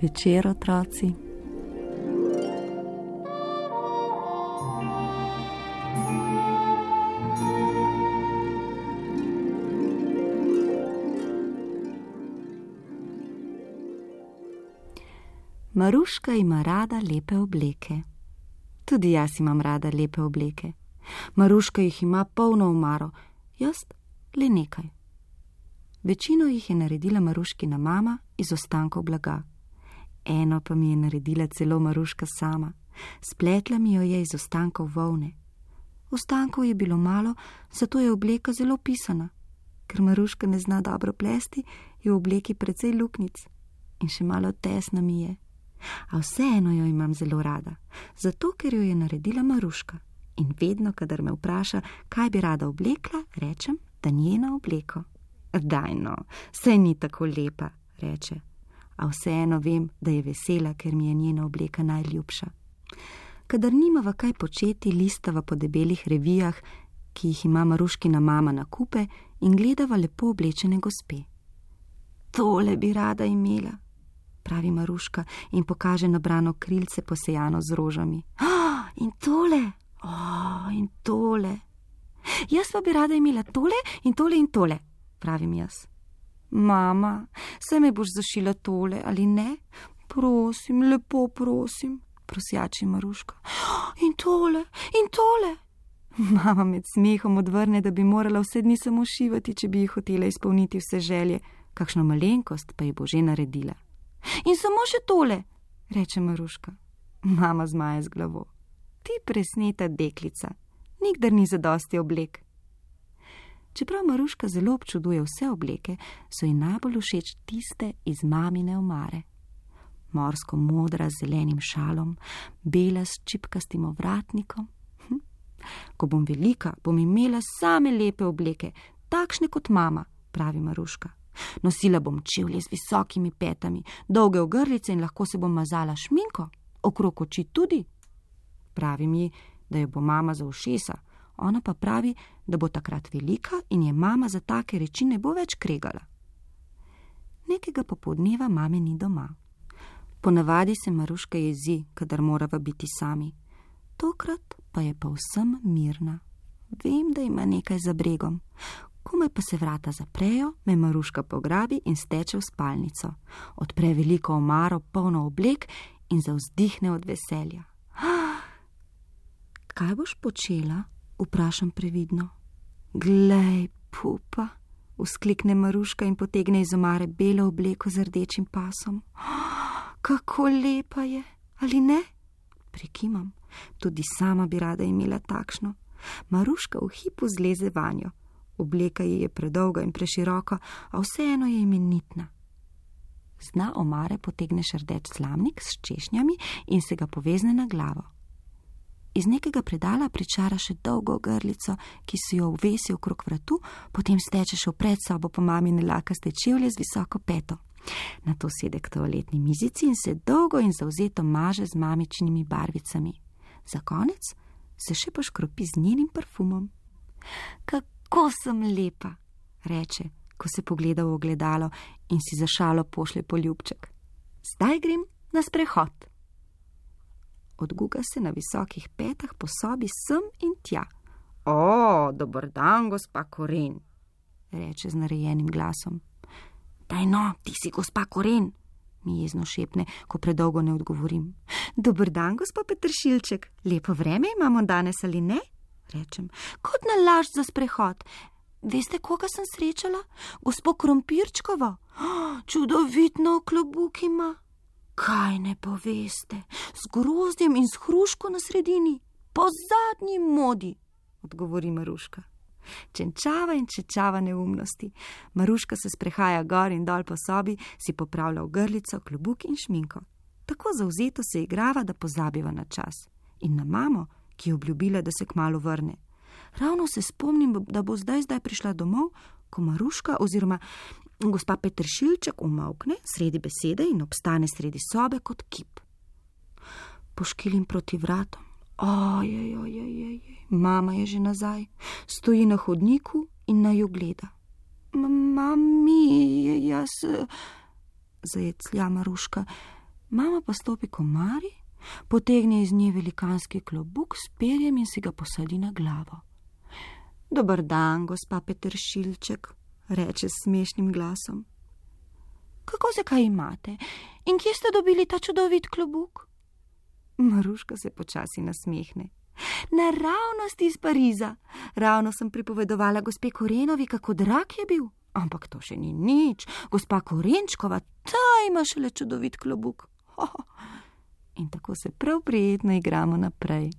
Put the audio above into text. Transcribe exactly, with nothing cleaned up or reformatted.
večer, otroci. Maruška ima rada lepe obleke. Tudi jaz imam rada lepe obleke. Maruška jih ima polno omaro, jaz le nekaj. Večino jih je naredila Maruškina mama iz ostankov blaga. Eno pa mi je naredila celo Maruška sama. Spletla mi jo je iz ostankov volne. Ostankov je bilo malo, zato je obleka zelo pisana. Ker Maruška ne zna dobro plesti, je v obleki precej luknjic in še malo tesna mi je. A vseeno jo imam zelo rada, zato ker jo je naredila Maruška. In vedno, kadar me vpraša, kaj bi rada oblekla, rečem, da njena obleko. Daj no, saj ni tako lepa, reče. A vseeno vem, da je vesela, ker mi je njena obleka najljubša. Kadar nimava kaj početi, listava po debelih revijah, ki jih ima Maruškina mama na kupe, in gledava lepo oblečene gospe. Tole bi rada imela, pravi Maruška in pokaže nabrano krilce posejano z rožami. Oh, in tole, oh, in tole. Jaz pa bi rada imela tole in tole in tole, pravim jaz. Mama, saj me boš zašila tole, ali ne? Prosim, lepo prosim, prosjači Maruška. Oh, in tole, in tole. Mama med smehom odvrne, da bi morala vse dni samo šivati, če bi ji hotela izpolniti vse želje, kakšno malenkost pa ji bo že naredila. In samo še tole, reče Maruška. Mama zmaje z glavo. Ti presneta deklica, nikdar ni zadosti oblek. Čeprav Maruška zelo občuduje vse obleke, so ji najbolj všeč tiste iz mamine omare. Morsko modra z zelenim šalom, bela s čipkastim ovratnikom. Hm. Ko bom velika, bom imela same lepe obleke, takšne kot mama, pravi Maruška. Nosila bom čevlje z visokimi petami, dolge ogrlice in lahko se bom mazala šminko, okrog oči tudi. Pravi mi, da jo bo mama za ušesa, ona pa pravi, da bo takrat velika in je mama za take reči ne bo več kregala. Nekega popoldneva mame ni doma. Ponavadi se Maruška jezi, kadar morava biti sami. Tokrat pa je povsem mirna. Vem, da ima nekaj za bregom. Komaj pa se vrata zaprejo, me Maruška pograbi in steče v spalnico. Odpre veliko omaro, polno oblek in zavzdihne od veselja. Ah, kaj boš počela? Vprašam previdno. Glej, pupa, vzklikne Maruška in potegne iz omare belo obleko z rdečim pasom. Ah, kako lepa je, ali ne? Prikimam, tudi sama bi rada imela takšno. Maruška v hipu zleze vanjo. Obleka ji je predolga in preširoka, a vseeno je imenitna. Z dna omare potegne šrdeč slamnik s češnjami in se ga povezne na glavo. Iz nekega predala pričara še dolgo ogrlico, ki si jo uvesi okrog vratu, potem steče še v predsobo po mamine lakaste čevlje z visoko peto. Nato sede k toaletni mizici in se dolgo in zavzeto maže z mamičnimi barvicami. Za konec se še poškropi z njenim parfumom. Kako sem lepa, reče, ko se pogleda v ogledalo in si za šalo pošlje poljubček. Zdaj grem na sprehod. Odguga se na visokih petah po sobi sem in tja. O, dober dan, gospa Koren, reče z narejenim glasom. Daj no, ti si gospa Koren, mi jezno šepne, ko predolgo ne odgovorim. Dober dan, gospa Peteršilček, lepo vreme imamo danes ali ne? Rečem, kot nalašč za sprehod. Veste, koga sem srečala? Gospo Krompirčkovo. Oh, čudovitno klobuk ima. Kaj ne poveste? Z grozdjem in s hruško na sredini. Po zadnji modi, odgovori Maruška. Čenčava in čečava neumnosti. Maruška se sprehaja gor in dol po sobi, si popravlja ogrlico, klobuk in šminko. Tako zavzeto se igrava, da pozabiva na čas. In na mamo, ki je obljubila, da se kmalu vrne. Ravno se spomnim, da bo zdaj zdaj prišla domov, ko Maruška oziroma gospa Peteršilček umolkne sredi besede in obstane sredi sobe kot kip. Poškilim proti vratom. Ojej, ojej, ojej, mama je že nazaj. Stoji na hodniku in naju gleda. Mami, jaz... zajeclja Maruška. Mama pa stopi k omari, potegne iz nje velikanski klobuk s perjem in si ga posadi na glavo. Dober dan, gospa Peteršilček, reče s smešnim glasom. Kako se kaj imate in kje ste dobili ta čudovit klobuk? Maruška se počasi nasmehne. Naravnost iz Pariza. Ravno sem pripovedovala gospe Korenovi, kako drag je bil. Ampak to še ni nič. Gospa Korenčkova, ta ima šele čudovit klobuk. Ho, ho. In tako se prav prijetno igramo naprej.